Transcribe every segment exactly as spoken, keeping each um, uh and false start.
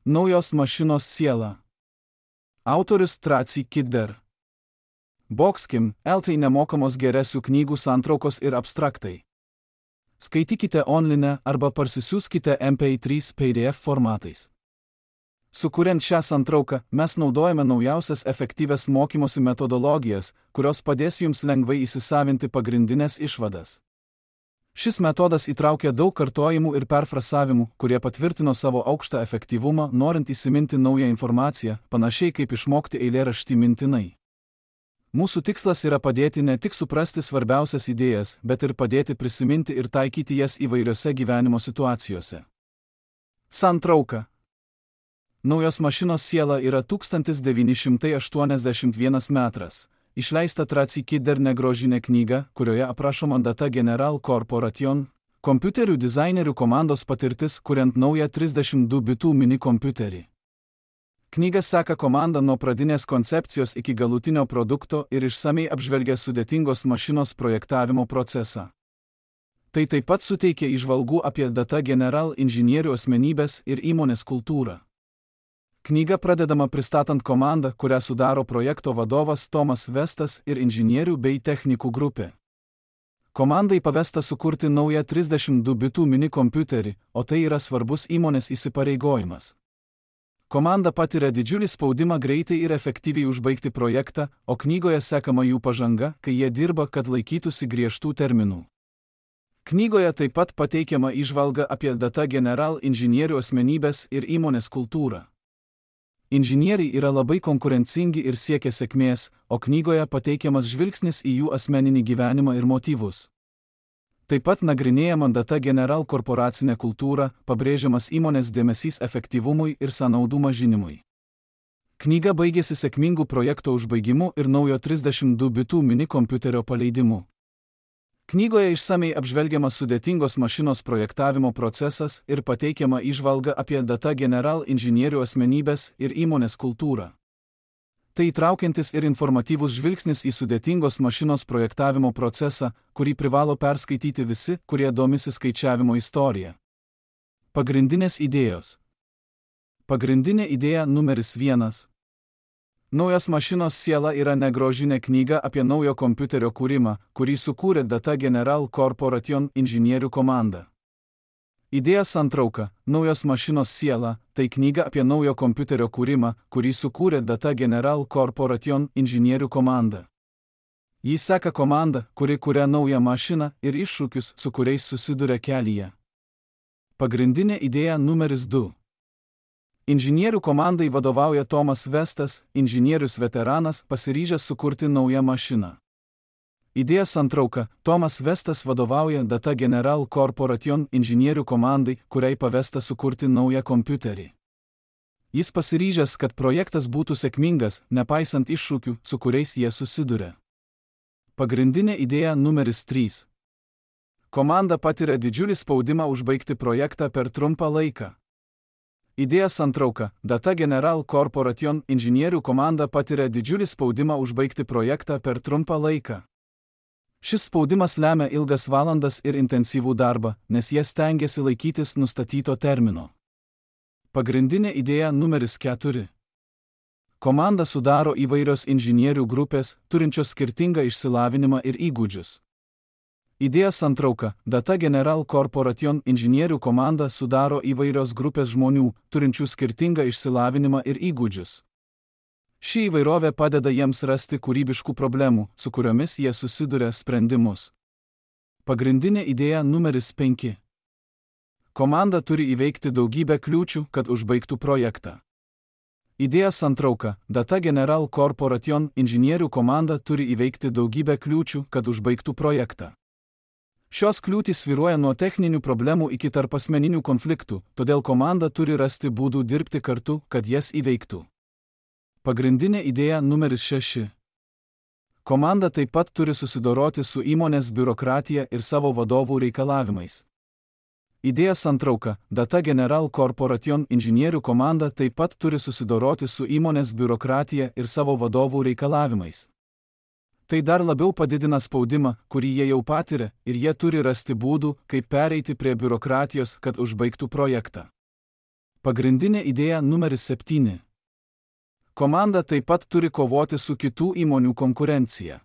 Naujos mašinos siela. Autorius Tracy Kidder. Boxkim, L T nemokamos geresių knygų santraukos ir abstraktai. Skaitykite online arba parsisiųskite M P trys P D F formatais. Sukuriant šią santrauką, mes naudojame naujausias efektyvias mokymosi metodologijas, kurios padės jums lengvai įsisavinti pagrindinės išvadas. Šis metodas įtraukia daug kartojimų ir perfrasavimų, kurie patvirtino savo aukštą efektyvumą, norint įsiminti naują informaciją, panašiai kaip išmokti eilėraštį mintinai. Mūsų tikslas yra padėti ne tik suprasti svarbiausias idėjas, bet ir padėti prisiminti ir taikyti jas įvairiose gyvenimo situacijose. Santrauka. Naujos mašinos siela yra tūkstantis devyni šimtai aštuoniasdešimt vienas metras. Išleista Tracy Kidder negrožinė knyga, kurioje aprašoma data General Corporation, kompiuterių dizainerių komandos patirtis, kuriant naują trisdešimt du bitų mini kompiuterį. Knyga seka komandą nuo pradinės koncepcijos iki galutinio produkto ir išsamei apžvelgia sudėtingos mašinos projektavimo procesą. Tai taip pat suteikia įžvalgų apie data General inžinierių asmenybės ir įmonės kultūrą. Knyga pradedama pristatant komandą, kurią sudaro projekto vadovas Tomas Vestas ir inžinierių bei technikų grupė. Komandai pavesta sukurti naują trisdešimt du bitų mini kompiuterį, o tai yra svarbus įmonės įsipareigojimas. Komanda patiria didžiulį spaudimą greitai ir efektyviai užbaigti projektą, o knygoje sekama jų pažanga, kai jie dirba, kad laikytųsi griežtų terminų. Knygoje taip pat pateikiama įžvalga apie data General inžinierių asmenybės ir įmonės kultūrą. Inžinieriai yra labai konkurencingi ir siekia sėkmės, o knygoje pateikiamas žvilgsnis į jų asmeninį gyvenimą ir motyvus. Taip pat nagrinėjama data General korporacinė kultūra, pabrėžiamas įmonės dėmesys efektyvumui ir sąnaudų mažinimui. Knyga baigėsi sėkmingų projekto užbaigimu ir naujo trisdešimt du bitų mini kompiuterio paleidimu. Knygoje išsamei apžvelgiamas sudėtingos mašinos projektavimo procesas ir pateikiama įžvalga apie data General inžinierių asmenybės ir įmonės kultūrą. Tai įtraukiantis ir informatyvus žvilgsnis į sudėtingos mašinos projektavimo procesą, kurį privalo perskaityti visi, kurie domisi skaičiavimo istorija. Pagrindinės idėjos. Pagrindinė idėja numeris vienas. Naujos mašinos siela yra negrožinė knyga apie naujo kompiuterio kūrimą, kurį sukūrė data General Corporation inžinierių komanda. Idėja santrauka. Naujos mašinos siela – tai knyga apie naujo kompiuterio kūrimą, kurį sukūrė data General Corporation inžinierių komanda. Jis seka komandą, kuri kuria naują mašiną ir iššūkius, su kuriais susiduria kelyje. Pagrindinė idėja numeris du. Inžinierių komandai vadovauja Tomas Vestas, inžinierius veteranas, pasiryžęs sukurti naują mašiną. Idėja santrauka. Tomas Vestas vadovauja data General Corporation inžinierių komandai, kuriai pavesta sukurti naują kompiuterį. Jis pasiryžęs, kad projektas būtų sėkmingas, nepaisant iššūkių, su kuriais jie susiduria. Pagrindinė idėja numeris trys. Komanda patiria didžiulį spaudimą užbaigti projektą per trumpą laiką. Idėja santrauka. Data General Corporation inžinierių komanda patiria didžiulį spaudimą užbaigti projektą per trumpą laiką. Šis spaudimas lemia ilgas valandas ir intensyvų darbą, nes jie stengiasi laikytis nustatyto termino. Pagrindinė idėja numeris keturi. Komandą sudaro įvairios inžinierių grupės, turinčios skirtingą išsilavinimą ir įgūdžius. Idėja santrauka. Data General Corporation inžinierių komanda sudaro įvairios grupės žmonių, turinčių skirtingą išsilavinimą ir įgūdžius. Ši įvairovė padeda jiems rasti kūrybiškų problemų, su kuriomis jie susiduria sprendimus. Pagrindinė idėja numeris penki. Komanda turi įveikti daugybę kliūčių, kad užbaigtų projektą. Idėja santrauka. Data General Corporation inžinierių komanda turi įveikti daugybę kliūčių, kad užbaigtų projektą. Šios kliūtys svyruoja nuo techninių problemų iki tarpasmeninių konfliktų, todėl komanda turi rasti būdų dirbti kartu, kad jas įveiktų. Pagrindinė idėja numeris šeši. Komanda taip pat turi susidoroti su įmonės biurokratija ir savo vadovų reikalavimais. Idėja santrauka. Data General Corporation inžinierių komanda taip pat turi susidoroti su įmonės biurokratija ir savo vadovų reikalavimais. Tai dar labiau padidina spaudimą, kurį jie jau patiria, ir jie turi rasti būdų, kaip pereiti prie biurokratijos, kad užbaigtų projektą. Pagrindinė idėja numeris septyni. Komanda taip pat turi kovoti su kitų įmonių konkurencija.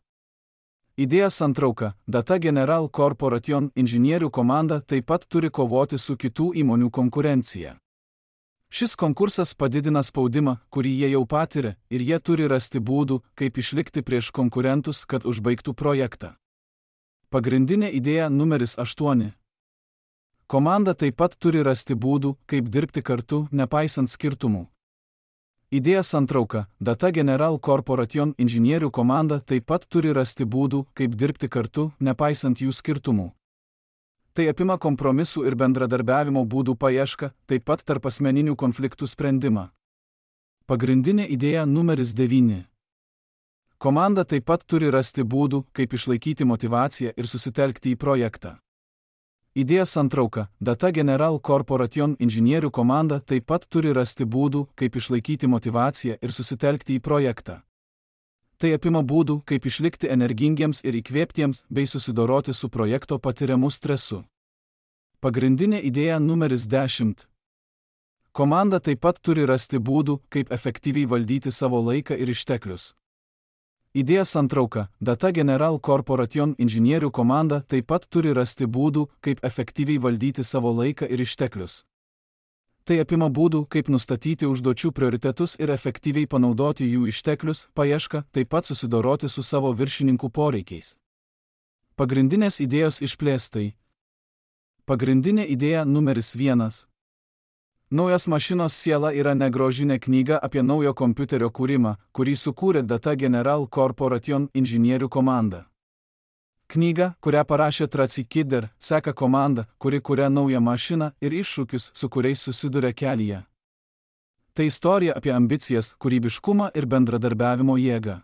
Idėja santrauka. Data General Corporation inžinierių komanda taip pat turi kovoti su kitų įmonių konkurencija. Šis konkursas padidina spaudimą, kurį jie jau patiria, ir jie turi rasti būdų, kaip išlikti prieš konkurentus, kad užbaigtų projektą. Pagrindinė idėja numeris aštuoni. Komanda taip pat turi rasti būdų, kaip dirbti kartu, nepaisant skirtumų. Idėja santrauka. Data General Corporation inžinierių komanda taip pat turi rasti būdų, kaip dirbti kartu, nepaisant jų skirtumų. Tai apima kompromisų ir bendradarbiavimo būdų paiešką, taip pat tarpasmeninių konfliktų sprendimą. Pagrindinė idėja numeris devyni. Komanda taip pat turi rasti būdų, kaip išlaikyti motyvaciją ir susitelkti į projektą. Idėja santrauka. Data General Corporation inžinierių komanda taip pat turi rasti būdų, kaip išlaikyti motyvaciją ir susitelkti į projektą. Tai apima būdų, kaip išlikti energingiems ir įkvėptiems bei susidoroti su projekto patiriamu stresu. Pagrindinė idėja numeris dešimt. Komanda taip pat turi rasti būdų, kaip efektyviai valdyti savo laiką ir išteklius. Idėja santrauka. Data General Corporation inžinierių komanda taip pat turi rasti būdų, kaip efektyviai valdyti savo laiką ir išteklius. Tai apima būdų, kaip nustatyti užduočių prioritetus ir efektyviai panaudoti jų išteklius, paiešką, taip pat susidoroti su savo viršininkų poreikiais. Pagrindinės idėjos išplėstai. Pagrindinė idėja numeris vienas. Naujos mašinos siela yra negrožinė knyga apie naujo kompiuterio kūrimą, kurį sukūrė Data General Corporation inžinierių komanda. Knyga, kurią parašė Tracy Kidder, seka komanda, kuri kuria naują mašiną ir iššūkius, su kuriais susiduria kelyje. Tai istorija apie ambicijas, kūrybiškumą ir bendradarbiavimo jėgą.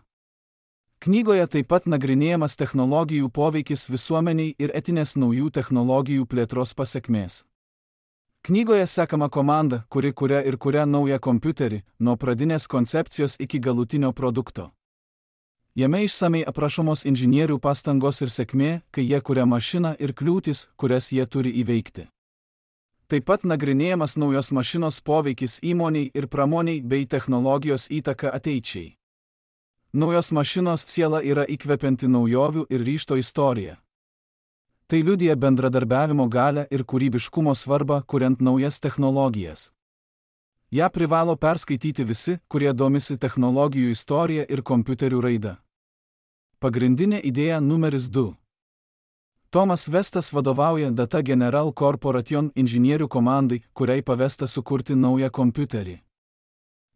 Knygoje taip pat nagrinėjamas technologijų poveikis visuomeniai ir etinės naujų technologijų plėtros pasekmės. Knygoje sekama komanda, kuri kuria ir kuria naują kompiuterį, nuo pradinės koncepcijos iki galutinio produkto. Jame išsamei aprašomos inžinierių pastangos ir sėkmė, kai jie kuria mašiną ir kliūtis, kurias jie turi įveikti. Taip pat nagrinėjamas naujos mašinos poveikis įmoniai ir pramoniai bei technologijos įtaka ateičiai. Naujos mašinos siela yra įkvepianti naujovių ir ryžto istorija. Tai liudija bendradarbiavimo galią ir kūrybiškumo svarbą, kuriant naujas technologijas. Ja privalo perskaityti visi, kurie domisi technologijų istorija ir kompiuterių raida. Pagrindinė idėja numeris du. Tomas Vestas vadovauja Data General Corporation inžinierių komandai, kuriai pavesta sukurti naują kompiuterį.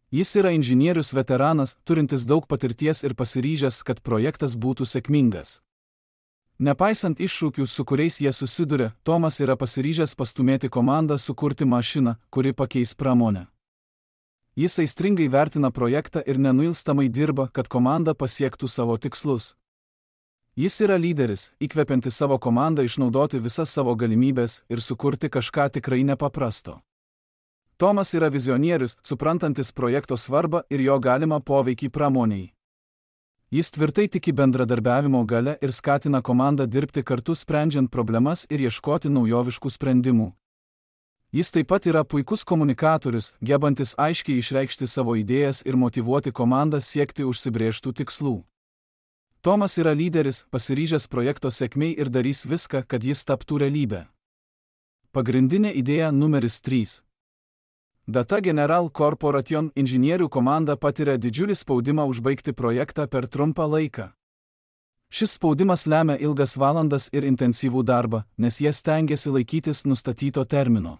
Jis yra inžinierius veteranas, turintis daug patirties ir pasiryžęs, kad projektas būtų sėkmingas. Nepaisant iššūkių, su kuriais jie susiduria, Tomas yra pasiryžęs pastumėti komandą sukurti mašiną, kuri pakeis pramonę. Jis aistringai vertina projektą ir nenuilstamai dirba, kad komanda pasiektų savo tikslus. Jis yra lyderis, įkvepiantis savo komandą išnaudoti visas savo galimybės ir sukurti kažką tikrai nepaprasto. Tomas yra vizionierius, suprantantis projekto svarbą ir jo galimą poveikį pramoniai. Jis tvirtai tiki bendradarbiavimo gale ir skatina komandą dirbti kartu sprendžiant problemas ir ieškoti naujoviškų sprendimų. Jis taip pat yra puikus komunikatorius, gebantis aiškiai išreikšti savo idėjas ir motyvuoti komandą siekti užsibrėžtų tikslų. Tomas yra lyderis, pasiryžęs projekto sėkmei ir darys viską, kad jis taptų realybę. Pagrindinė idėja numeris trys. Data General Corporation inžinierių komanda patiria didžiulį spaudimą užbaigti projektą per trumpą laiką. Šis spaudimas lemia ilgas valandas ir intensyvų darbą, nes jie stengiasi laikytis nustatyto termino.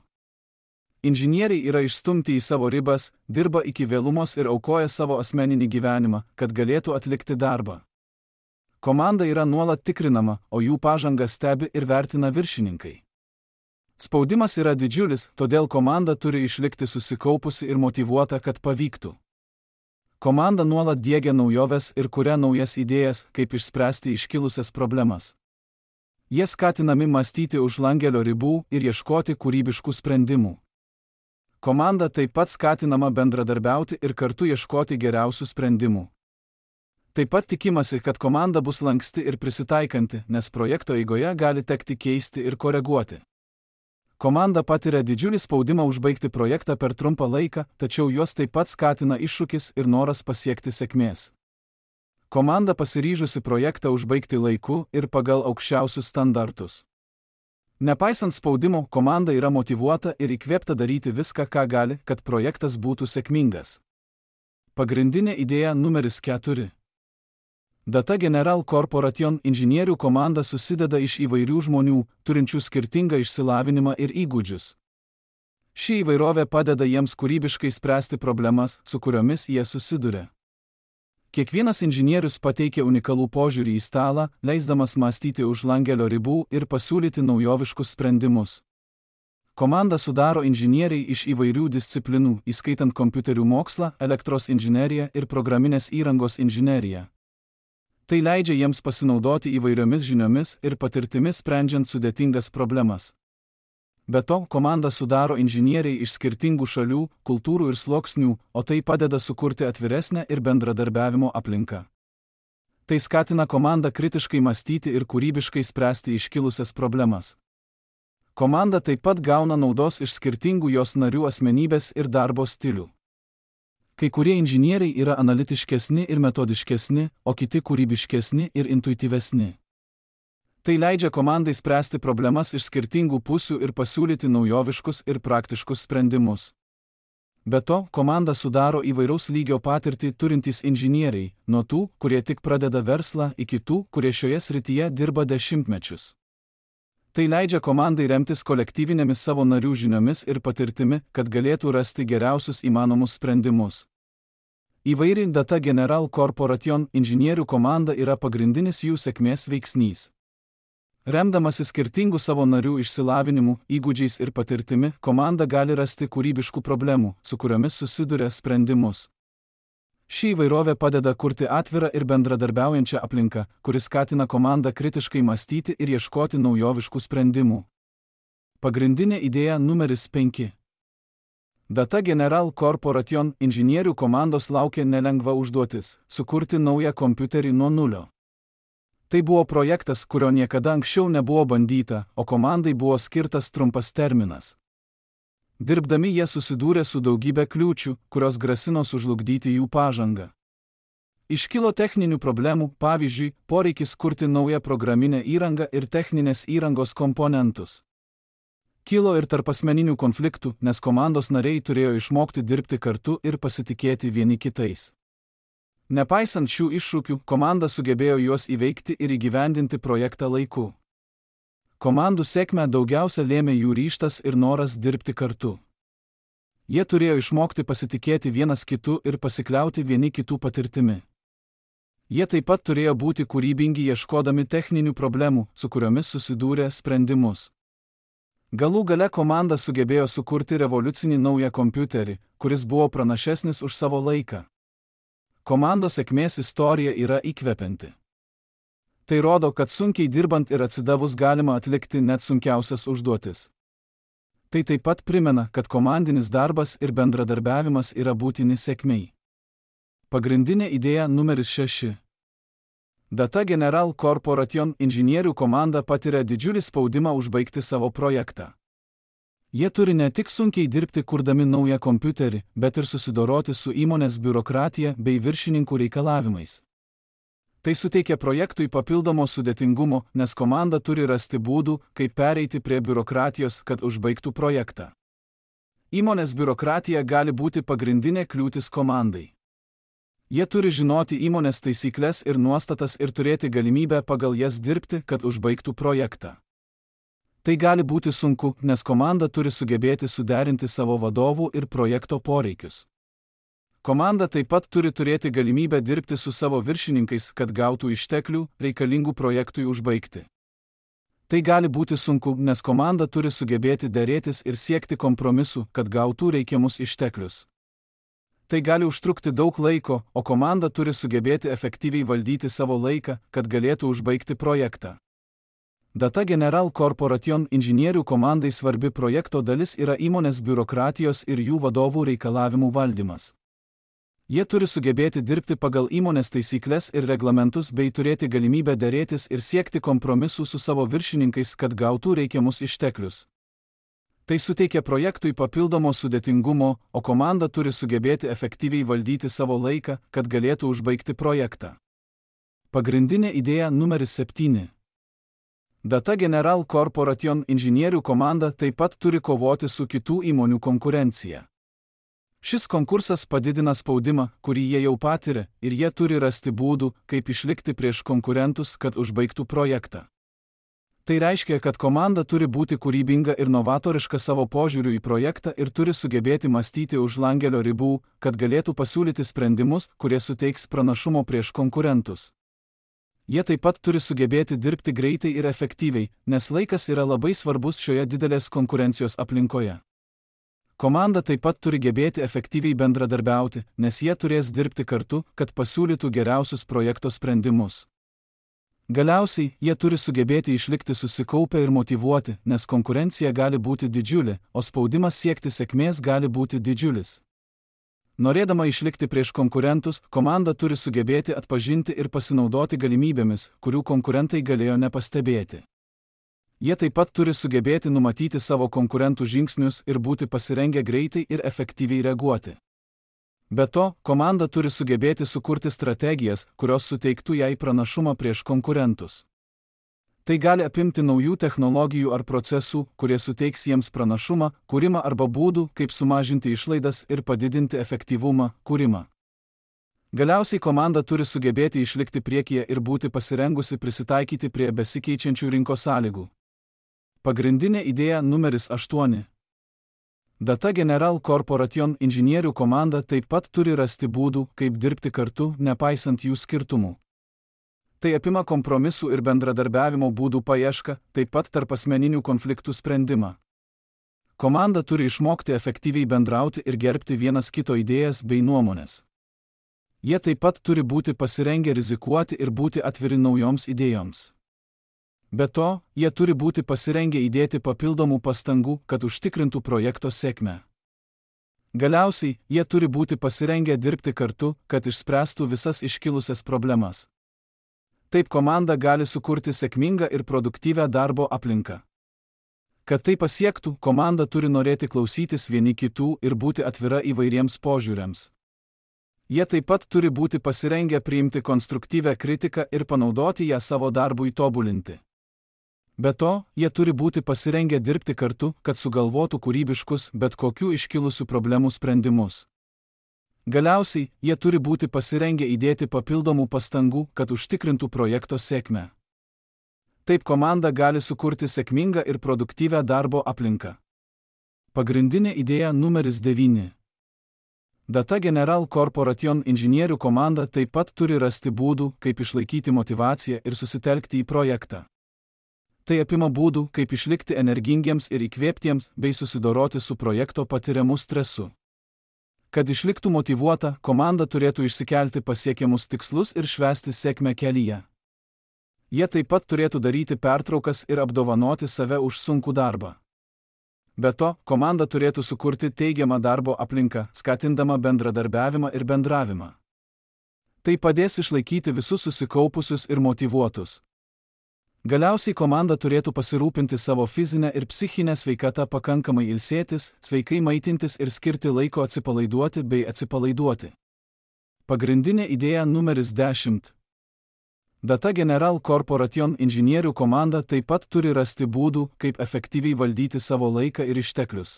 Inžinieriai yra išstumti į savo ribas, dirba iki vėlumos ir aukoja savo asmeninį gyvenimą, kad galėtų atlikti darbą. Komanda yra nuolat tikrinama, o jų pažangą stebi ir vertina viršininkai. Spaudimas yra didžiulis, todėl komanda turi išlikti susikaupusi ir motyvuota, kad pavyktų. Komanda nuolat diegia naujoves ir kuria naujas idėjas, kaip išspręsti iškilusias problemas. Jie skatinami mąstyti už langelio ribų ir ieškoti kūrybiškų sprendimų. Komanda taip pat skatinama bendradarbiauti ir kartu ieškoti geriausių sprendimų. Taip pat tikimasi, kad komanda bus lanksti ir prisitaikanti, nes projekto eigoje gali tekti keisti ir koreguoti. Komanda patiria didžiulį spaudimą užbaigti projektą per trumpą laiką, tačiau juos taip pat skatina iššūkis ir noras pasiekti sėkmės. Komanda pasiryžusi projektą užbaigti laiku ir pagal aukščiausius standartus. Nepaisant spaudimo, komanda yra motyvuota ir įkvėpta daryti viską, ką gali, kad projektas būtų sėkmingas. Pagrindinė idėja numeris keturi. Data General Corporation inžinierių komanda susideda iš įvairių žmonių, turinčių skirtingą išsilavinimą ir įgūdžius. Ši įvairovė padeda jiems kūrybiškai spręsti problemas, su kuriomis jie susiduria. Kiekvienas inžinierius pateikia unikalų požiūrį į stalą, leisdamas mąstyti už langelio ribų ir pasiūlyti naujoviškus sprendimus. Komandą sudaro inžinieriai iš įvairių disciplinų, įskaitant kompiuterių mokslą, elektros inžineriją ir programinės įrangos inžineriją. Tai leidžia jiems pasinaudoti įvairiomis žiniomis ir patirtimis sprendžiant sudėtingas problemas. Be to, komandą sudaro inžinieriai iš skirtingų šalių, kultūrų ir sluoksnių, o tai padeda sukurti atviresnę ir bendradarbiavimo aplinką. Tai skatina komandą kritiškai mąstyti ir kūrybiškai spręsti iškilusias problemas. Komanda taip pat gauna naudos iš skirtingų jos narių asmenybės ir darbo stilių. Kai kurie inžinieriai yra analitiškesni ir metodiškesni, o kiti kūrybiškesni ir intuityvesni. Tai leidžia komandai spręsti problemas iš skirtingų pusių ir pasiūlyti naujoviškus ir praktiškus sprendimus. Be to, komandą sudaro įvairaus lygio patirtį turintys inžinieriai, nuo tų, kurie tik pradeda verslą, iki tų, kurie šioje srityje dirba dešimtmečius. Tai leidžia komandai remtis kolektyvinėmis savo narių žiniomis ir patirtimi, kad galėtų rasti geriausius įmanomus sprendimus. Įvairi Data General Corporation inžinierių komanda yra pagrindinis jų sėkmės veiksnys. Remdamasi skirtingų savo narių išsilavinimu, įgūdžiais ir patirtimi, komanda gali rasti kūrybiškų problemų, su kuriomis susiduria sprendimus. Ši įvairovė padeda kurti atvirą ir bendradarbiaujančią aplinką, kuris skatina komandą kritiškai mąstyti ir ieškoti naujoviškų sprendimų. Pagrindinė idėja numeris penki. Data General Corporation inžinierių komandos laukia nelengva užduotis – sukurti naują kompiuterį nuo nulio. Tai buvo projektas, kurio niekada anksčiau nebuvo bandyta, o komandai buvo skirtas trumpas terminas. Dirbdami jie susidūrė su daugybė kliūčių, kurios grasino sužlugdyti jų pažangą. Iškilo techninių problemų, pavyzdžiui, poreikis kurti naują programinę įrangą ir techninės įrangos komponentus. Kilo ir tarpasmeninių konfliktų, nes komandos nariai turėjo išmokti dirbti kartu ir pasitikėti vieni kitais. Nepaisant šių iššūkių, komanda sugebėjo juos įveikti ir įgyvendinti projektą laiku. Komandų sėkmę daugiausia lėmė jų ryžtas ir noras dirbti kartu. Jie turėjo išmokti pasitikėti vienas kitu ir pasikliauti vieni kitų patirtimi. Jie taip pat turėjo būti kūrybingi ieškodami techninių problemų, su kuriomis susidūrė sprendimus. Galų gale komanda sugebėjo sukurti revoliucinį naują kompiuterį, kuris buvo pranašesnis už savo laiką. Komandos sėkmės istorija yra įkvepianti. Tai rodo, kad sunkiai dirbant ir atsidavus galima atlikti net sunkiausias užduotis. Tai taip pat primena, kad komandinis darbas ir bendradarbiavimas yra būtini sėkmei. Pagrindinė idėja numeris šeši. Data General Corporation inžinierių komanda patiria didžiulį spaudimą užbaigti savo projektą. Jie turi ne tik sunkiai dirbti kurdami naują kompiuterį, bet ir susidoroti su įmonės biurokratija bei viršininkų reikalavimais. Tai suteikia projektui papildomo sudėtingumo, nes komanda turi rasti būdų, kaip pereiti prie biurokratijos, kad užbaigtų projektą. Įmonės biurokratija gali būti pagrindinė kliūtis komandai. Jie turi žinoti įmonės taisyklės ir nuostatas ir turėti galimybę pagal jas dirbti, kad užbaigtų projektą. Tai gali būti sunku, nes komanda turi sugebėti suderinti savo vadovų ir projekto poreikius. Komanda taip pat turi turėti galimybę dirbti su savo viršininkais, kad gautų išteklių, reikalingų projektui užbaigti. Tai gali būti sunku, nes komanda turi sugebėti derėtis ir siekti kompromisų, kad gautų reikiamus išteklius. Tai gali užtrukti daug laiko, o komanda turi sugebėti efektyviai valdyti savo laiką, kad galėtų užbaigti projektą. Data General Corporation inžinierių komandai svarbi projekto dalis yra įmonės biurokratijos ir jų vadovų reikalavimų valdymas. Jie turi sugebėti dirbti pagal įmonės taisyklės ir reglamentus bei turėti galimybę derėtis ir siekti kompromisų su savo viršininkais, kad gautų reikiamus išteklius. Tai suteikia projektui papildomo sudėtingumo, o komanda turi sugebėti efektyviai valdyti savo laiką, kad galėtų užbaigti projektą. Pagrindinė idėja numeris septyni. Data General Corporation inžinierių komanda taip pat turi kovoti su kitų įmonių konkurencija. Šis konkursas padidina spaudimą, kurį jie jau patiria, ir jie turi rasti būdų, kaip išlikti prieš konkurentus, kad užbaigtų projektą. Tai reiškia, kad komanda turi būti kūrybinga ir novatoriška savo požiūriu į projektą ir turi sugebėti mąstyti už langelio ribų, kad galėtų pasiūlyti sprendimus, kurie suteiks pranašumo prieš konkurentus. Jie taip pat turi sugebėti dirbti greitai ir efektyviai, nes laikas yra labai svarbus šioje didelės konkurencijos aplinkoje. Komanda taip pat turi gebėti efektyviai bendradarbiauti, nes jie turės dirbti kartu, kad pasiūlytų geriausius projekto sprendimus. Galiausiai, jie turi sugebėti išlikti susikaupę ir motyvuoti, nes konkurencija gali būti didžiulė, o spaudimas siekti sėkmės gali būti didžiulis. Norėdama išlikti prieš konkurentus, komanda turi sugebėti atpažinti ir pasinaudoti galimybėmis, kurių konkurentai galėjo nepastebėti. Jie taip pat turi sugebėti numatyti savo konkurentų žingsnius ir būti pasirengę greitai ir efektyviai reaguoti. Be to, komanda turi sugebėti sukurti strategijas, kurios suteiktų jai pranašumą prieš konkurentus. Tai gali apimti naujų technologijų ar procesų, kurie suteiks jiems pranašumą, kūrimą arba būdų, kaip sumažinti išlaidas ir padidinti efektyvumą, kūrimą. Galiausiai komanda turi sugebėti išlikti priekyje ir būti pasirengusi prisitaikyti prie besikeičiančių rinkos sąlygų. Pagrindinė idėja numeris aštuoni. Data General Corporation inžinierių komanda taip pat turi rasti būdų, kaip dirbti kartu, nepaisant jų skirtumų. Tai apima kompromisų ir bendradarbiavimo būdų paiešką, taip pat tarp asmeninių konfliktų sprendimą. Komanda turi išmokti efektyviai bendrauti ir gerbti vienas kito idėjas bei nuomonės. Jie taip pat turi būti pasirengę rizikuoti ir būti atviri naujoms idėjoms. Be to, jie turi būti pasirengę įdėti papildomų pastangų, kad užtikrintų projekto sėkmę. Galiausiai, jie turi būti pasirengę dirbti kartu, kad išspręstų visas iškilusias problemas. Taip komanda gali sukurti sėkmingą ir produktyvią darbo aplinką. Kad tai pasiektų, komanda turi norėti klausytis vieni kitų ir būti atvira įvairiems požiūriams. Jie taip pat turi būti pasirengę priimti konstruktyvią kritiką ir panaudoti ją savo darbui tobulinti. Be to, jie turi būti pasirengę dirbti kartu, kad sugalvotų kūrybiškus, bet kokių iškilusių problemų sprendimus. Galiausiai, jie turi būti pasirengę įdėti papildomų pastangų, kad užtikrintų projekto sėkmę. Taip komanda gali sukurti sėkmingą ir produktyvią darbo aplinką. Pagrindinė idėja numeris devyni. Data General Corporation inžinierių komanda taip pat turi rasti būdų, kaip išlaikyti motyvaciją ir susitelkti į projektą. Tai apima būdų, kaip išlikti energingiems ir įkvėptiems bei susidoroti su projekto patiriamu stresu. Kad išliktų motyvuota, komanda turėtų išsikelti pasiekiamus tikslus ir švęsti sėkmę kelyje. Jie taip pat turėtų daryti pertraukas ir apdovanoti save už sunkų darbą. Be to, komanda turėtų sukurti teigiamą darbo aplinką, skatindama bendradarbiavimą ir bendravimą. Tai padės išlaikyti visus susikaupusius ir motyvuotus. Galiausiai komanda turėtų pasirūpinti savo fizinę ir psichinę sveikatą, pakankamai ilsėtis, sveikai maitintis ir skirti laiko atsipalaiduoti bei atsipalaiduoti. Pagrindinė idėja numeris dešimt. Data General Corporation inžinierių komanda taip pat turi rasti būdų, kaip efektyviai valdyti savo laiką ir išteklius.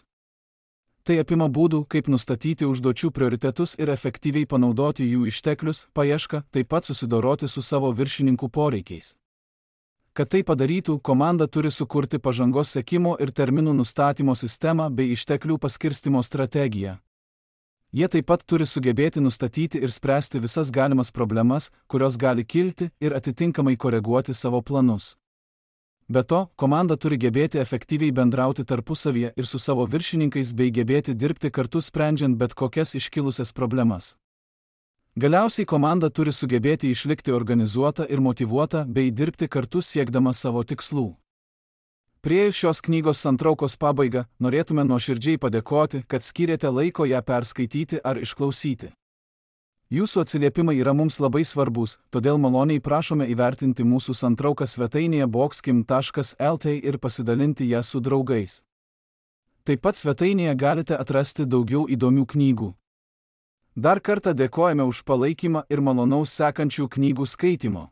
Tai apima būdų, kaip nustatyti užduočių prioritetus ir efektyviai panaudoti jų išteklius, paiešką, taip pat susidoroti su savo viršininkų poreikiais. Kad tai padarytų, komanda turi sukurti pažangos sekimo ir terminų nustatymo sistemą bei išteklių paskirstimo strategiją. Jie taip pat turi sugebėti nustatyti ir spręsti visas galimas problemas, kurios gali kilti, ir atitinkamai koreguoti savo planus. Be to, komanda turi gebėti efektyviai bendrauti tarpusavyje ir su savo viršininkais bei gebėti dirbti kartu sprendžiant bet kokias iškilusias problemas. Galiausiai komanda turi sugebėti išlikti organizuota ir motyvuota bei dirbti kartu siekdama savo tikslų. Priėjus šios knygos santraukos pabaigą, norėtume nuoširdžiai padėkoti, kad skyrėte laiko ją perskaityti ar išklausyti. Jūsų atsiliepimai yra mums labai svarbus, todėl maloniai prašome įvertinti mūsų santrauką svetainėje boxkim taškas lt ir pasidalinti ją su draugais. Taip pat svetainėje galite atrasti daugiau įdomių knygų. Dar kartą dėkojame už palaikymą ir malonaus sekančių knygų skaitimo.